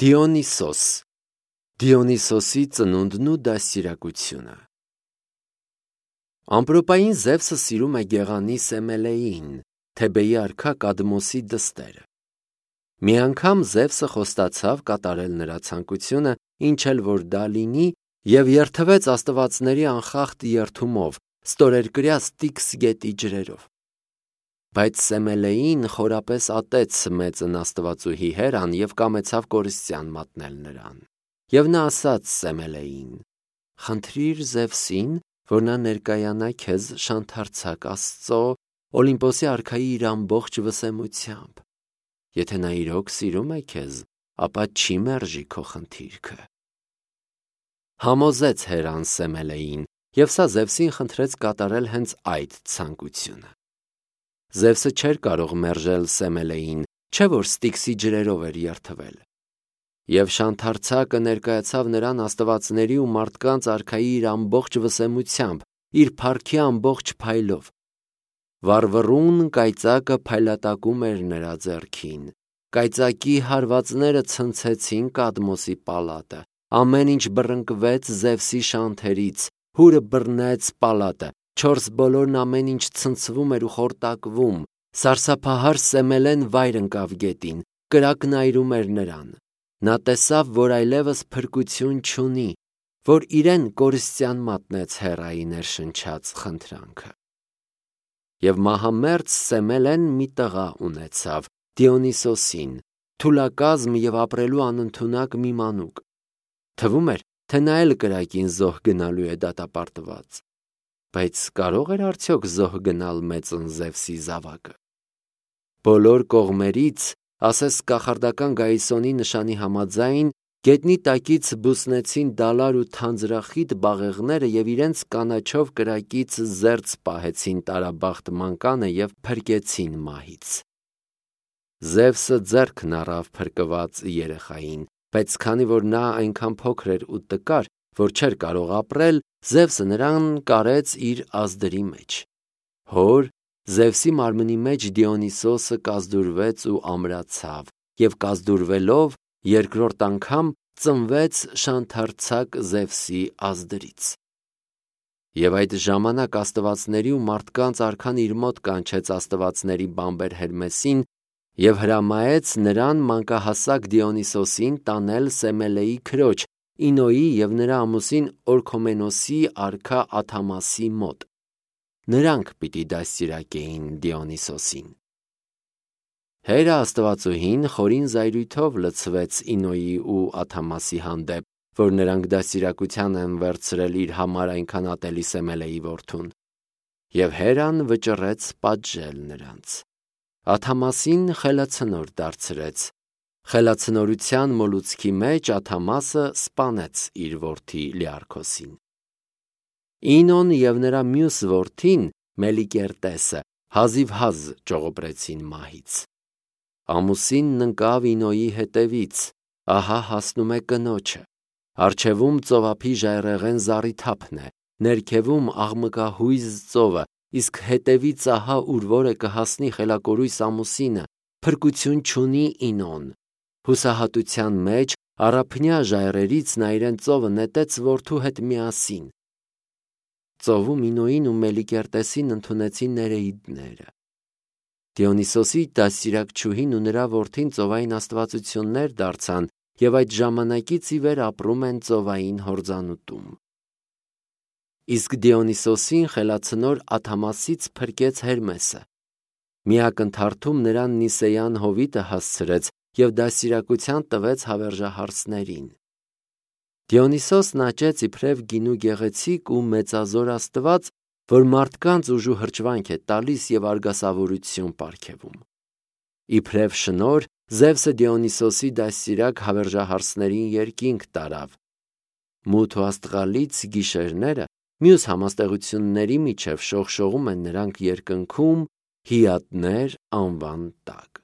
Դիոնիսոս Դիոնիսոսի ծնունդն ու դաստիարակությունը Ամպրոպային Զևսը սիրում է գեղանի Սեմելեին, Թեբեի արքա Կադմոսի դստերը։ Մի անգամ Զևսը խոստացավ կատարել նրա ցանկությունը, ինչ էլ որ դա լինի, և երդվեց աստվածների անխախտ երդումով, ստորերկրյա Ստիքս գետի ջրերով։ Բայց Սեմելեին խորապես ատեց մեծն աստվածուհի Հերան և կամեցավ կորստյան մատնել նրան։ Եվ նա ասաց Սեմելեին. «Խնդրիր Զևսին, որ նա ներկայանա քեզ շանթարցակ Աստծո, Օլիմպոսի արքայի իր ամբողջ վսեմությամբ։ Եթե նա իրոք սիրում է քեզ, ապա չի մերժի քո խնդիրքը»։ Համոզեց Հերան Սեմելեին, և սա Զևսին խնդրեց կատարել հենց այդ ցանկությունը։ Զևսը չէր կարող մերժել Սեմելեին, չէ՞ որ Ստիքսի ջրերով էր երդվել։ Եվ շանթարցակը ներկայացավ նրան աստվածների ու մարդկանց արքայի իր ամբողջ վսեմությամբ, իր փառքի ամբողջ փայլով։ Վառվռուն կայծակը փայլատակում էր նրա ձեռքին, կայծակի հարվածները ցնցեցին Կադմոսի պալատը, ամեն ինչ բռնկվեց Զևսի շանթերից, հուրը բռնեց պալատը, չորս բոլորն ամեն ինչ ցնցվում էր ու խորտակվում, սարսափահար Սեմելեն վայր ընկավ գետին, կրակն այրում էր նրան։ Նա տեսավ, որ այլևս փրկություն չունի, որ իրեն կորստյան մատնեց Հերայի ներշնչած խնդրանքը։ Եվ մահամերձ Սեմելեն մի տղա ունեցավ, Դիոնիսոսին, թուլակազմ և ապրելու անընդունակ մի մանուկ։ Թվում էր, թե նա էլ կրակին զոհ գնալու է դատապարտված։ Բայց կարո՞ղ էր արդյոք զոհ գնալ մեծն Զևսի զավակը։ Բոլոր կողմերից, ասես կախարդական Գայսոնի նշանի համաձայն, գետնի տակից բուսնեցին դալար ու թանձրախիտ բաղեղները և իրենց կանաչով կրակից զերծ պահեցին տարաբախտ մանկանը և փրկեցին մահից։ Զևսը ձեռքն առավ փրկված երեխային, բայց քանի որ նա այնքան փոքր էր ու տկար, որ չէր կարող ապրել, Զևսը նրան կարեց իր ազդրի մեջ։ Հոր Զևսի մարմնի մեջ Դիոնիսոսը կազդուրվեց ու ամրացավ, և կազդուրվելով երկրորդ անգամ ծնվեց շանթարցակ Զևսի ազդրից։ Եվ այդ ժամանակ աստվածների ու մարդկանց արքան իր մոտ կանչեց աստվածների բամբեր Հերմեսին և հրամայեց նրան մանկահասակ Դիոնիսոսին տանել Սեմելեի քրոջ Ինոյի և նրա ամուսին Օրքոմենոսի արքա Աթամասի մոտ։ Նրանք պիտի դաստիարակեին Դիոնիսոսին։ Հերը աստվածուհին խորին զայրույթով լցվեց Ինոյի ու Աթամասի հանդեպ, որ նրանք դաստիարակության են վերցրել իր համար այնքան ատելի Սեմելեի որդուն։ Եվ Հերան վճռեց պատժել նրանց։ Աթամասին խելացնոր դարձրեց։ Խելացնորության մոլուցքի մեջ Աթամասը սպանեց իր որդի Լիարքոսին։ Ինոն և նրա մյուս որդին Մելիկերտեսը հազիվհազ ճողոպրեցին մահից։ Ամուսինն ընկավ Ինոյի հետևից, ահա հասնում է կնոջը, առջևում ծովափի ժայռերեն զառիթափն է, ներքևում աղմկահույզ ծովը, իսկ հետևից ահա ուր որ է կհասնի խելակորույս ամուսինը, փրկություն չունի Ինոն։ Հուսահատության մեջ առափնյա ժայռերից նա իրեն ծովը նետեց որդու հետ միասին։ Ծովում Ինոյին ու Մելիկերտեսին ընդունեցին Ներեիդները։ Դիոնիսոսի դաստիարակչուհին ու նրա որդին ծովային աստվածություններ դարձան և այդ ժամանակից ի վեր ապրում են ծովային հորձանուտում։ Իսկ Դիոնիսոսին խելացնոր Աթամասից փրկեց Հերմեսը։ Մի ակնթարթում նրան Նիսեյան հովիտը հասցրեց և դաստիարակության տվեց հավերժահարսներին։ Դիոնիսոսն աճեց իբրև գինու գեղեցիկ ու մեծազոր աստված, որ մարդկանց ուժու հրճվանք է տալիս և արգասավորություն պարգևում։ Իբրև շնորհ Զևսը Դիոնիսոսի դաստիարակ հավերժահարսներին երկինք տարավ։ Մութ ու աստղալից գիշերները մյուս համաստեղությունների միջև շողշողում են նրանք երկնքում Հիատներ անվան տակ։